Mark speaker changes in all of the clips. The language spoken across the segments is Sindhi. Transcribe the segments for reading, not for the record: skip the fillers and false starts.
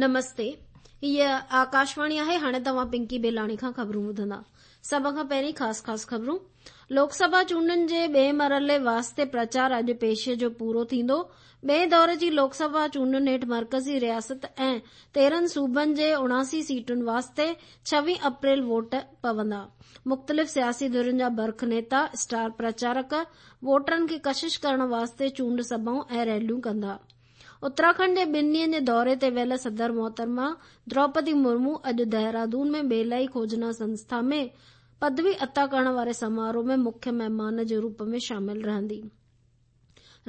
Speaker 1: نمستي هيء آڪاشواڻي آهي هاڻي توهان پنڪي بيلاڻي کان خبرون ٻڌندا سڀ کان پهرين خاص خاص خبرون لوڪ سڀا چونڊن جي ٻئي مرحلي واسطي پرچار اڄ پيشي جو پورو ٿيندو ٻئي دور جي لوڪ سڀا چونڊن هيٺ مرڪزي رياست ۽ 13 صوبن جي 79 سيٽن واسطي 26 اپريل ووٽ پوندا مختلف سياسي ڌرين جا برک نيتا اسٽار پرچارڪ ووٽرن کي ڪشش ڪرڻ واسطي چونڊ سڀائون ۽ ريليون ڪندا اتراکنڊ جي ٻن ڏينهن جي دوري تي ويل صدر محترمه دروپدي مرمو اڄ دهرادون ۾ ٻيلائي کوجنا سنسٿا ۾ پدوي عطا ڪرڻ واري سماروهه ۾ مکيه مهمان جي روپ ۾ شامل رهندي.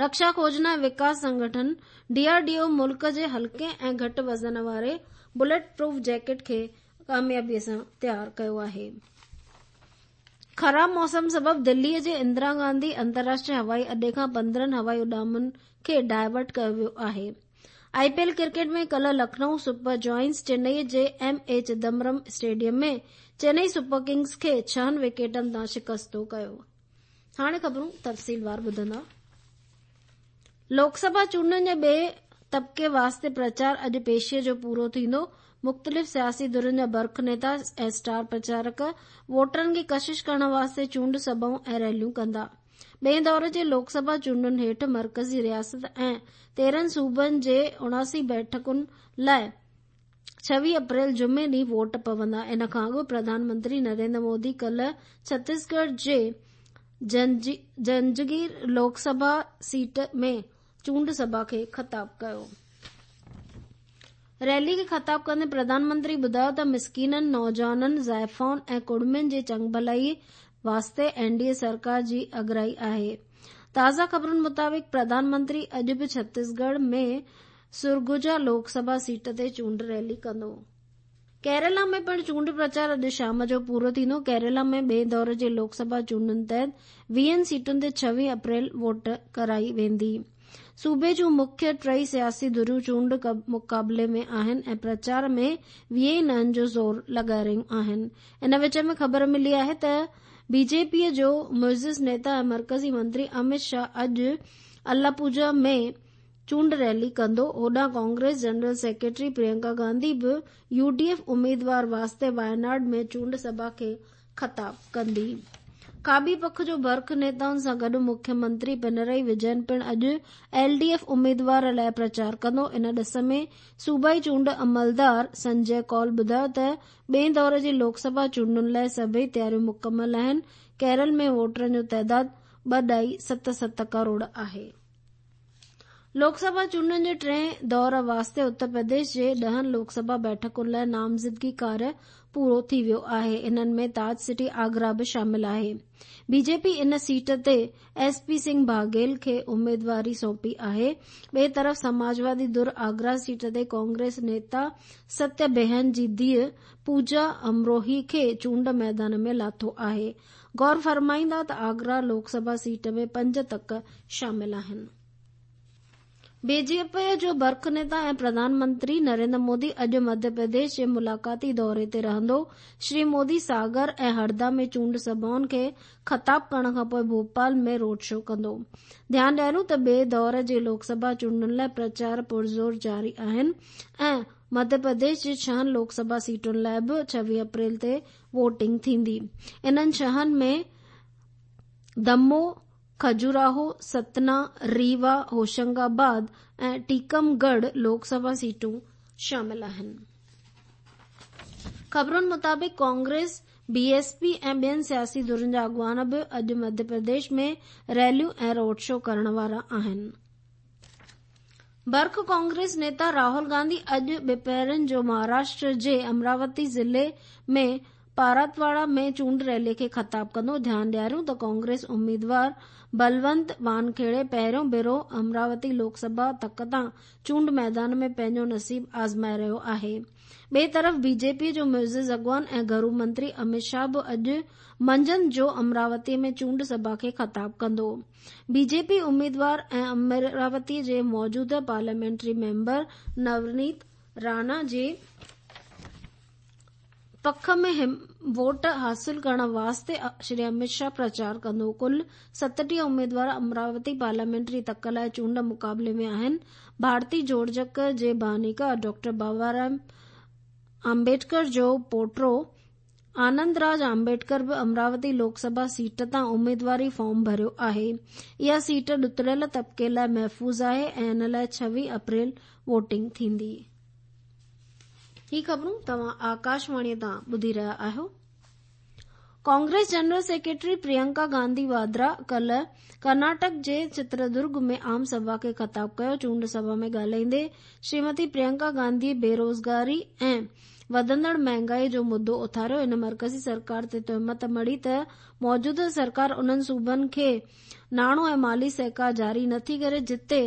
Speaker 1: رڪشا کوجنا ۽ وڪاس سنگٺن، ڊي آر ڊي او، ملڪ جي هلڪي ۽ گهٽ وزن واري بليٽ پروف جيڪيٽ کي ڪاميابي سان تيار ڪيو آهي. خراب موسم سبب دلي جي اندرا گانڌي انترراشٽريه هوائي اڏي کان 15 هوائي اڏامن کي ڊائيورٽ ڪيو ويو آهي. آء پي ايل ڪرڪيٽ ۾ ڪلهه لکنئو سپر جائنٽس چنئي جي M A Chidambaram stadium ۾ Chennai super kings کي ڇهن وڪيٽن تان شڪستو ڪيو. هاڻي خبرون تفصيلوار ٻڌندا. لوڪ سڀا چونڊن جي ٻئي طبقي واسطي پرچار اڄ پيشي جو پورو ٿيندو. مختلف سياسي ڌرين جا برک نيتا ۽ اسٽار پرچارڪ ووٽرن کي ڪشش ڪرڻ واسطي چونڊ سڀائون ۽ ريليون ڪندا. ٻئي دور جي لوڪ سڀا چونڊن هيٺ مرڪزي رياست ۽ 13 صوبن جي 79 بيٺڪن لاء 26 اپريل جمعي ڏينهن ووٽ پوندا. ان کان اڳ پرڌان منتري نريندر مودي ڪلهه ڇتيسڳڙهه جي جنجگير لوڪ سڀا سيٽ ۾ چونڊ سڀا کي خطاب ڪيو. ريلي کي خطاب ڪندي پرڌان منتري ٻڌايو ته مسڪينن، نوجوانن، زائفائن ۽ ڪڙمين جي چڱڀلائي واسطي اين ڊي اي سرڪار جي اڳرائي آهي. تازه خبرن مطابق پرڌان منتري اڄ به ڇتيسڳڙهه ۾ سرگجا لوڪ سڀا سيٽ تي چونڊ ريلي ڪندو. ڪيرالا ۾ پڻ چونڊ پرچار اڄ شام جو پورو ٿيندو. ڪيرالا ۾ ٻئي دور جي لوڪ سڀا چونڊن تحت ويهن سيٽن تي 26 اپريل ووٽ ڪرائي ويندي. صوبي جون مکيه ٽئي سياسي ڌريون چونڊ مقابلي ۾ آهن ۽ پرچار ۾ ويهه ئي نهن جو زور لڳائي رهيون آهن. ان وچ ۾ خبر ملي آهي ته بي جي پي جو معزز نيتا ۽ مرڪزي منتري امت شاهه اڄ الاپوجا ۾ چونڊ ريلي ڪندو. هوڏانهن Congress general secretary Priyanka Gandhi به يو ڊي ايف اميدوار واسطي وايناڊ ۾ چونڊ سڀا کي خطاب ڪندي. کاٻي پک جو برک نيتائن سان گڏ مکيه منتري پنرائي وجين پڻ اڄ ايل ڊي ايف اميدوار لاء پرچار ڪندو. ان ڏس ۾ صوبائي چونڊ عملدار سنجي ڪول ٻڌايو ته ٻئين دور جي لوڪ سڀا چونڊن لاء سڀئي تياريون مڪمل آهن. ڪيرل ۾ ووٽرن جو تعداد 2.77 ڪروڙ آهي. لوڪ سڀا چونڊن جي ٽئين دور واسطي اتر پرديش جي ڏهن لوڪ سڀا بيٺڪن لاء نامزدگي ڪاريه پورو ٿي ويو آهي. انهن ۾ تاج سٽي آگرا به شامل آهي. بي جي پي ان سيٽ تي ايس پي سنگهه باگهيل کي اميدواري سونپي آهي. ٻئي طرف سماجوادي ڌر آگرا سيٽ تي ڪانگريس نيتا ستيه بهن جي ڌيء پوجا امروهي کي چونڊ ميدان ۾ لاٿو آهي. غور فرمائيندا ته آگرا لوڪ سڀا سيٽ ۾ پنج تڪ شامل آهن. بي جي پي جو برک نيتا ۽ پرڌان منتري نريندر مودي اڄ مڌيه پرديش جي ملاقاتي دوري تي رهندو. شري مودي ساگر ۽ هردا ۾ چونڊ سڀائن کي خطاب ڪرڻ کانپوء ڀوپال ۾ روڊ شو ڪندو. ڌيان ڏياريون ته ٻئي دور جي لوڪ سڀا چونڊن لاء پرچار پرزور جاري آهن ۽ مڌيه پرديش جي ڇهن لوڪ سڀا سيٽن لاء به 26 اپريل تي ووٽنگ ٿيندي. انهن ڇهن ۾ دمو، کجوراهو، ستنا، ريوا، هوشنگ آباد ۽ ٽيڪم ڳڙهه لوڪ سڀا سيٽون شامل آهن. خبرن مطابق ڪانگريس، بي ايس پي ۽ ٻين سياسي ڌرين جا اڳواڻ به اڄ مڌيه پرديش ۾ ريليون ۽ روڊ شو ڪرڻ وارا آهن. برک ڪانگريس نيتا راهول گانڌي اڄ ٻپهرن جو مهاراشٽر جي امراوتي ضلعي ۾ پاراتواڙا ۾ چونڊ ريلي کي خطاب ڪندو. ڌيان ڏياريون ته ڪانگريس اميدوار بلونت وانکيڙي پهريون ڀيرو امراوتي لوڪ سڀا تڪ تان چونڊ ميدان ۾ پنهنجو نصيب آزمائي رهيو آهي. ٻئي طرف بي جي پي جو معزز اڳواڻ ۽ گهرو منتري امت شاهه به اڄ منجهند جو امراوتي ۾ چونڊ سڀا کي خطاب ڪندو. بي جي پي اميدوار ۽ امراوتي جي موجوده پارليامينٽري ميمبر نونيت راڻا جي پک ۾ ووٽ حاصل ڪرڻ واسطي شري امت شاهه پرچار ڪندو. ڪل 37 اميدوار امراوتي پارليامينٽري تڪ لاء چونڊ مقابلي ۾ آهن. ڀارتي جوڙجڪ جي بانيڪار ڊاڪٽر بابا صاحب آمبيڊڪر جو پوٽو آنند راج آمبيڊڪر به امراوتي لوڪ سڀا سيٽ تان اميدواري فارم ڀريو آهي. اها سيٽ ڏتڙيل طبقي لاء محفوظ آهي ۽ ان لاء 26 اپريل ووٽنگ ٿيندي. هي خبرون توهان آڪاشواڻي تان ٻڌي رهيا آهيو. ڪانگريس جنرل سيڪريٽري پريانڪا گانڌي واڌرا ڪالهه ڪرناٽڪ جي چتردرگ ۾ عام سڀا کي خطاب ڪيو. چونڊ سڀا ۾ ڳالهائيندي شريمتي پريانڪا گانڌي بيروزگاري ۽ وڌندڙ مهانگائي جو مدو اٿاريو. هن مرڪزي سرڪار تي تهمت مڙهي ته موجوده سرڪار انهن صوبن کي ناڻو ۽ مالي سهڪار جاري نٿي ڪري جتي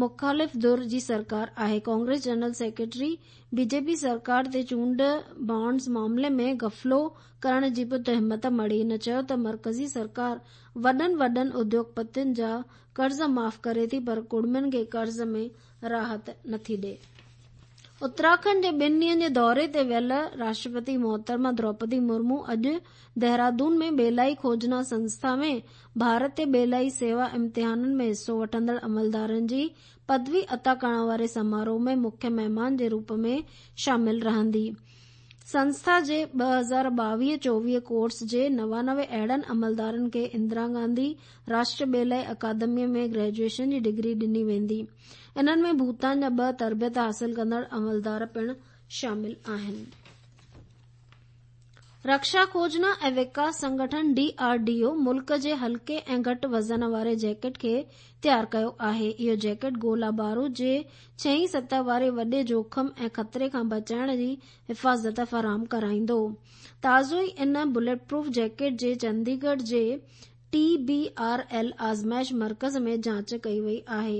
Speaker 1: مخالف ڌر جي سرڪار آهي. ڪانگريس جنرل سيڪريٽري بي جي پي سرڪار تي چونڊ بانڊز معاملي ۾ غفلو ڪرڻ جي به تهمت مڙهي. هن چيو ته مرڪزي سرڪار وڏن وڏن اديوگپتين جا قرض معاف ڪري ٿي پر ڪڙمين کي قرض ۾ راحت نٿي ڏي. اتراکنڊ جي ٻن ڏينهن جي دوري تي ويل راشٽرپتي محترمه دروپدي مرمو اڄ دهرادون ۾ ٻيلائي کوجنا سنسٿا ۾ ڀارتي ٻيلائي سيوا امتحانن ۾ حصو وٺندڙ عملدارن جي پدوي عطا ڪرڻ واري سماروهه ۾ مکيه مهمان جي روپ ۾ شامل رهندي. سنسٿا جي 2022-24 ڪورس جي 99 اهڙن عملدارن کي اندرا گانڌي راشٽريه ٻيلائي اڪادميء ۾ گريجوئيشن جي ڊگري ڏني ويندي. انهن ۾ ڀوتان جا ٻه تربيت حاصل ڪندڙ عملدار پڻ شامل آهن. رڪشا کوجنا ۽ وڪاس سنگٺن، ڊي آر ڊي او، ملڪ جي هلڪي ۽ گهٽ وزن واري جيڪيٽ کي تيار ڪيو آهي. اهو جيڪيٽ گولا بارود جي ڇهين سطح واري وڏي جوکم ۽ خطري کان بچائڻ جي حفاظت فراهم ڪرائيندو. تازو ئي ان بليٽ پروف جيڪيٽ جي چنديڳڙهه جي ٽي بي آر ايل آزمائش مرڪز ۾ جاچ ڪئي وئي آهي.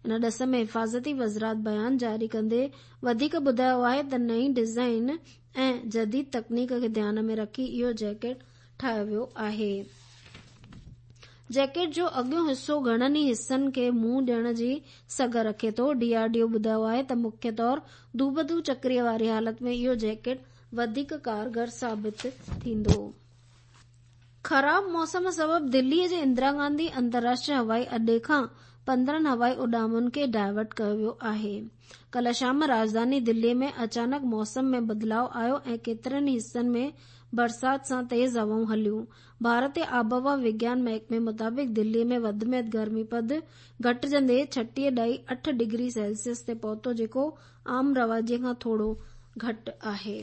Speaker 1: ان ڏس ۾ حفاظتي وزارت بيان جاري ڪندي وڌيڪ ٻڌايو آهي ته نئين ڊزائين ۽ جديد تڪنيڪ کي ڌيان ۾ رکي اهو جيڪيٽ ٺاهيو ويو آهي. جيڪيٽ جو اڳيون حصو گهڻن ئي حصن کي منهن ڏيڻ جي سگهه رکي ٿو. ڊي آر ڊي او ٻڌايو آهي ته مکيه طور دوبدو چڪري واري حالت ۾ اهو جيڪيٽ وڌيڪ ڪارگر ثابت ٿيندو. خراب موسم سبب دلي جي اندرا گانڌي انترراشٽريه هوائي اڏي کان 15 هوائي اڏامن کي ڊائيورٽ ڪيو ويو آهي. ڪالهه شام راڄڌاني دلي ۾ اچانڪ موسم ۾ بدلاء آيو ۽ ڪيترن ئي حصن ۾ برسات سان تيز هوائون هليون. ڀارتي آبهوا وگيان محڪمي مطابق دلي ۾ وڌ ۾ وڌ گرمي پد گهٽجندي 36.8 ڊگري سيلسيس تي پهتو جيڪو عام رواجي کان ٿورو گهٽ آهي.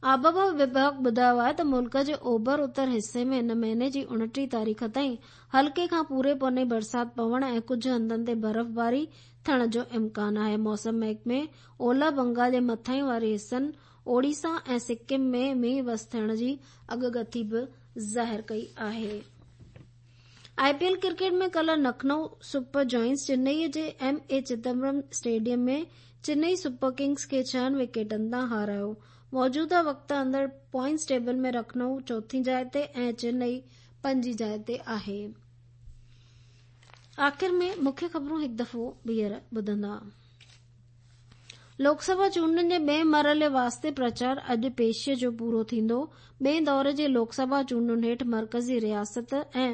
Speaker 1: آبهوا وڀاڳ ٻڌايو آهي ته ملڪ جي اوڀر اتر حصي ۾ هن مهيني جي 29 تاريخ تائين هلڪي کان پوري پوني برسات پوڻ ۽ ڪجهه هنڌن تي برفباري ٿيڻ جو امڪان آهي. موسم محڪمي اولهه بنگال جي مٿانهين واري حصن، اوڙيسا ۽ سڪم ۾ مينهن وس ٿيڻ جي اڳڪٿي به ظاهر ڪئي آهي. آء پي ايل ڪرڪيٽ ۾ ڪالهه لکنؤ سپر جائنٽس چنئي جي M A Chidambaram stadium ۾ Chennai super kings کي ڇهن وڪيٽن تان هارايو. موجوده وقت اندر پوائنٽس ٽيبل ۾ لکنؤ چوٿين جاء تي ۽ چنئي پنجين جاء تي آهي. آخر ۾ مکيه خبرون هڪ دفعو ٻيهر ٻڌندا. لوڪ سڀا چونڊن جي ٻئين مرحلي واسطي پرچار اڄ پيشيء جو پورو ٿيندو. ٻئين دور جي لوڪ سڀا چونڊن هيٺ مرڪزي رياست ۽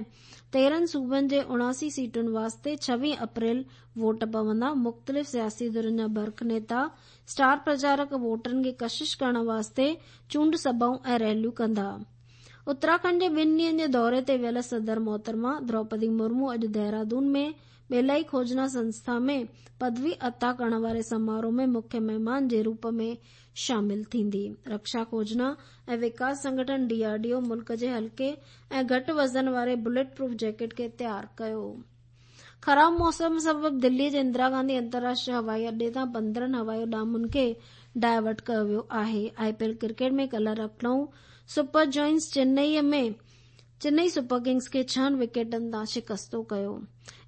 Speaker 1: 13 صوبن جي 79 سيٽن واسطي 26 اپريل ووٽ پوندا. مختلف سياسي ڌرين جا برک نيتا، اسٽار پرچارڪ ووٽرن کي ڪشش ڪرڻ واسطي چونڊ سڀائون ۽ ريليون ڪندا. اتراکنڊ جي ٻن ڏينهن جي دوري تي ويل صدر محترمه دروپدي مرمو اڄ دهرادون ۾ ٻيلائي کوجنا سنسٿا ۾ پدوي عطا ڪرڻ واري سماروهه ۾ مکيه مهمان جي روپ ۾ شامل ٿيندي. رڪشا کوجنا ۽ وڪاس سنگٺن، ڊي آر ڊي او، ملڪ جي هلڪي ۽ گهٽ وزن واري بليٽ پروف جيڪيٽ کي تيار ڪيو. خراب موسم سبب دلي جي اندرا گانڌي انترراشٽريه هوائي اڏي تان 15 هوائي اڏامن کي ڊائيورٽ ڪيو ويو آهي. آء پي ايل ڪرڪيٽ ۾ ڪالهه Lucknow super giants Chennai ۾ Chennai super kings کي ڇهن وڪيٽن تان شڪستو ڪيو.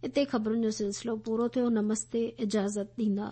Speaker 1: اتي خبرن جو سلسلو پورو ٿيو. نمستي اجازت ڏيندا.